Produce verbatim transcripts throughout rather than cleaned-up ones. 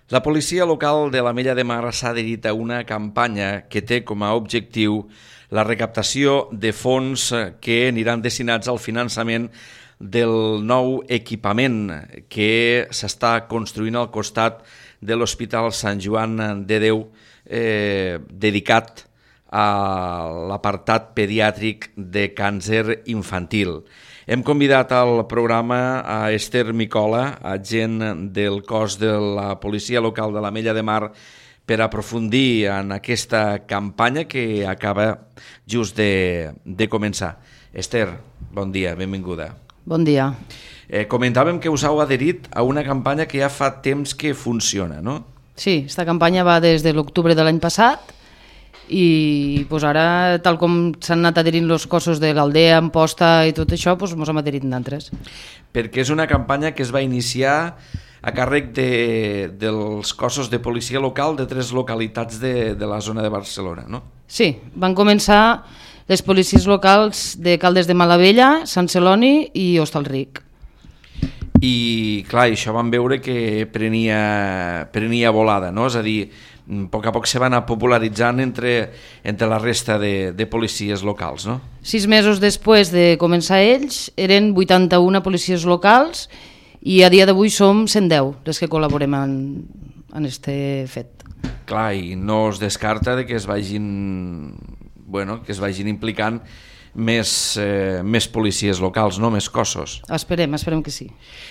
La policia local de l'Ametlla de Mar s'ha adherit a una campanya que té com a objectiu la recaptació de fons que aniran destinats al finançament del nou equipament que s'està construint al costat de l'Hospital Sant Joan de Déu, eh, dedicat a l'apartat pediàtric de càncer infantil. Hem convidat al programa a Esther Micola, agent del cos de la policia local de l'Ametlla de Mar, per aprofundir en aquesta campanya que acaba just de, de començar. Esther, bon dia, benvinguda. Bon dia. Eh, comentàvem que us heu adherit a una campanya que ja fa temps que funciona, no? Sí, esta campanya va des de l'octubre de l'any passat i pues, ara, tal com s'han anat adherint els cossos de l'Aldea, Amposta i tot això, pues, mos hem adherit d'altres. Perquè és una campanya que es va iniciar a càrrec de, dels cossos de policia local de tres localitats de, de la zona de Barcelona, no? Sí, van començar les policies locals de Caldes de Malavella, Sant Celoni i Hostalric. I clar, això vam veure que prenia, prenia volada, no? És a dir, a poc a poc se va anar popularitzant entre, entre la resta de, de policies locals, no? Sis mesos després de començar ells, eren vuitanta-una policies locals i a dia d'avui som cent deu les que col·laborem en, en este fet. Clar, i no es descarta de que es vagin, bueno, que es vagin implicant més, eh, més policies locals, no? Més cossos. Esperem, esperem que sí.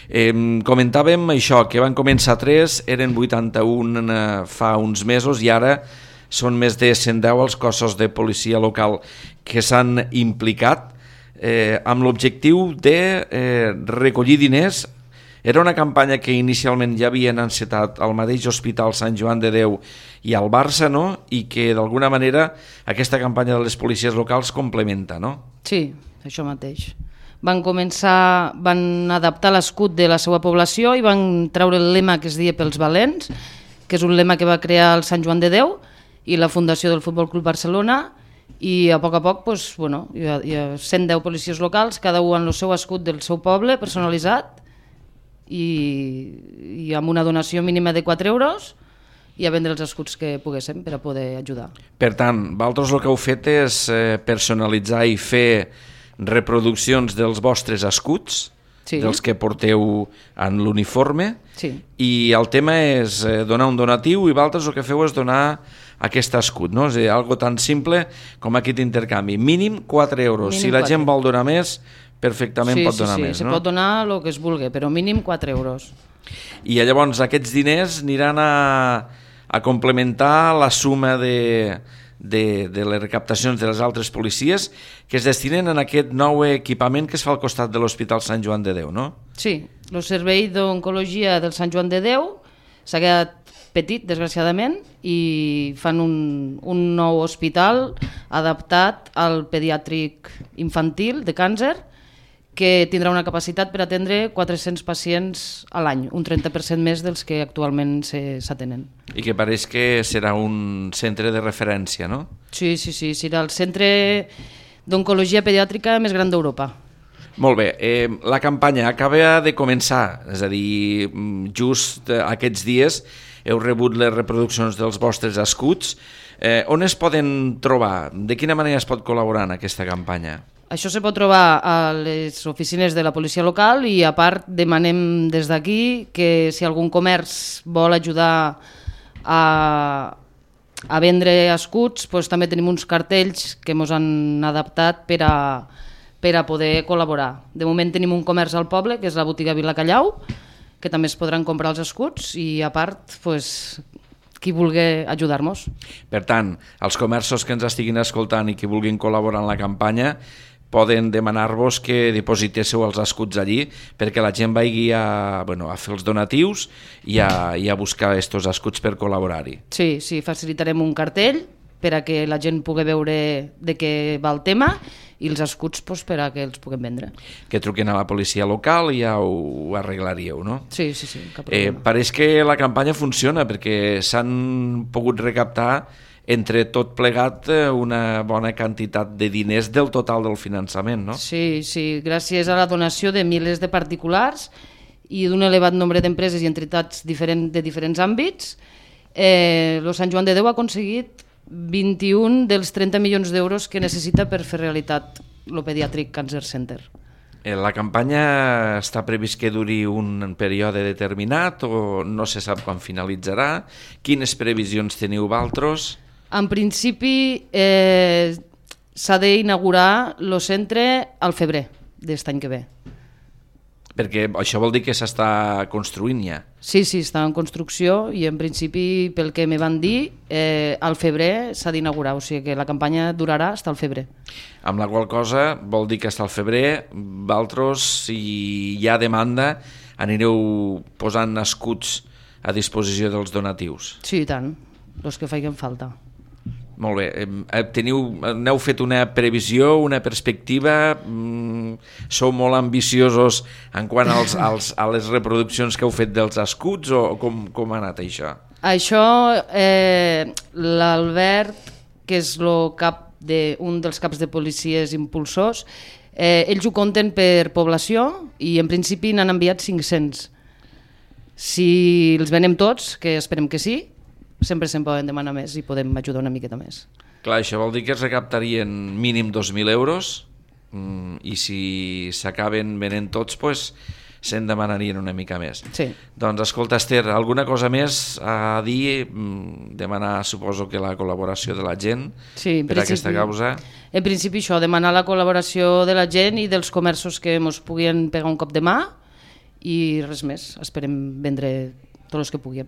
Eh, comentàvem això, que van començar tres, eren vuitanta-un eh, fa uns mesos i ara són més de cent deu els cossos de policia local que s'han implicat eh, amb l'objectiu de eh, recollir diners. Era una campanya que inicialment ja havien encetat al mateix Hospital Sant Joan de Déu i al Barça, no? I que d'alguna manera aquesta campanya de les policies locals complementa, no? Sí, això mateix. Van començar, van adaptar l'escut de la seva població i van treure el lema que es deia pels valents, que és un lema que va crear el Sant Joan de Déu i la Fundació del Futbol Club Barcelona, i a poc a poc pues, bueno, hi ha, hi ha cent deu policies locals, cada un amb el seu escut del seu poble personalitzat, i, i amb una donació mínima de quatre euros i a vendre els escuts que poguéssim per a poder ajudar. Per tant, vosaltres el que heu fet és eh, personalitzar i fer reproduccions dels vostres escuts, sí, dels que porteu en l'uniforme, sí, i el tema és eh, donar un donatiu i vosaltres el que feu és donar aquest escut, no? És a dir, algo tan simple com aquest intercanvi. Mínim quatre euros. Mínim si la quatre. Gent vol donar més, perfectament sí, pot donar sí, sí, més, se no? pot donar el que es vulgui, però mínim quatre euros. I llavors aquests diners aniran a, a complementar la suma de, de, de les recaptacions de les altres policies que es destinen en aquest nou equipament que es fa al costat de l'Hospital Sant Joan de Déu, no? Sí, el servei d'oncologia del Sant Joan de Déu s'ha quedat petit, desgraciadament, i fan un, un nou hospital adaptat al pediàtric infantil de càncer que tindrà una capacitat per atendre quatre-cents pacients a l'any, un trenta per cent més dels que actualment s'atenen. I que pareix que serà un centre de referència, no? Sí, sí, sí, serà el centre d'oncologia pediàtrica més gran d'Europa. Molt bé, eh, la campanya acaba de començar, és a dir, just aquests dies heu rebut les reproduccions dels vostres escuts. Eh, on es poden trobar? De quina manera es pot col·laborar en aquesta campanya? Això se pot trobar a les oficines de la policia local i a part demanem des d'aquí que si algun comerç vol ajudar a, a vendre escuts, doncs també tenim uns cartells que ens han adaptat per a, per a poder col·laborar. De moment tenim un comerç al poble, que és la botiga Vila Callau, que també es podran comprar els escuts i a part, doncs, qui vulgui ajudar-nos. Per tant, els comerços que ens estiguin escoltant i que vulguin col·laborar en la campanya poden demanar-vos que dipositéssiu els escuts allí perquè la gent vagi a, bueno, a fer els donatius i a, i a buscar aquests escuts per col·laborar-hi. Sí, sí, facilitarem un cartell per a que la gent pugui veure de què va el tema i els escuts doncs, per a que els puguem vendre. Que truquen a la policia local i ja ho arreglaríeu, no? Sí, sí, sí, cap problema. Eh, pareix que la campanya funciona perquè s'han pogut recaptar entre tot plegat una bona quantitat de diners del total del finançament, no? Sí, sí, gràcies a la donació de milers de particulars i d'un elevat nombre d'empreses i entitats diferent, de diferents àmbits, eh, el Sant Joan de Déu ha aconseguit vint-i-un dels trenta milions d'euros que necessita per fer realitat el Pediatric Cancer Center. La campanya està previst que duri un període determinat o no se sap quan finalitzarà? Quines previsions teniu vosaltres? En principi eh, s'ha d'inaugurar el centre al febrer d'aquest any que ve. Perquè això vol dir que s'està construint ja. Sí, sí, està en construcció i en principi, pel que me van dir, eh, al febrer s'ha d'inaugurar, o sigui que la campanya durarà fins al febrer. Amb la qual cosa vol dir que fins al febrer, vosaltres, si hi ha demanda, anireu posant escuts a disposició dels donatius. Sí, i tant, els que facin falta. Molt bé. Teniu, n'heu fet una previsió, una perspectiva? Sou molt ambiciosos en quant als, als, a les reproduccions que heu fet dels escuts o com, com ha anat això? Això, eh, l'Albert, que és el cap de, un dels caps de policies impulsors, eh, ells ho compten per població i en principi n'han enviat cinc-cents. Si els venem tots, que esperem que sí, sempre se'n poden demanar més i podem ajudar una miqueta més. Clar, això vol dir que es recaptarien mínim dos mil euros i si s'acaben venent tots, doncs se'n demanarien una mica més. Sí. Doncs escolta, Esther, alguna cosa més a dir? Demanar, suposo que la col·laboració de la gent sí, per a aquesta causa. En principi això, demanar la col·laboració de la gent i dels comerços que ens puguin pegar un cop de mà i res més, esperem vendre tots els que puguem.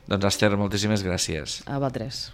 Doncs Esther, moltíssimes gràcies. A vosaltres.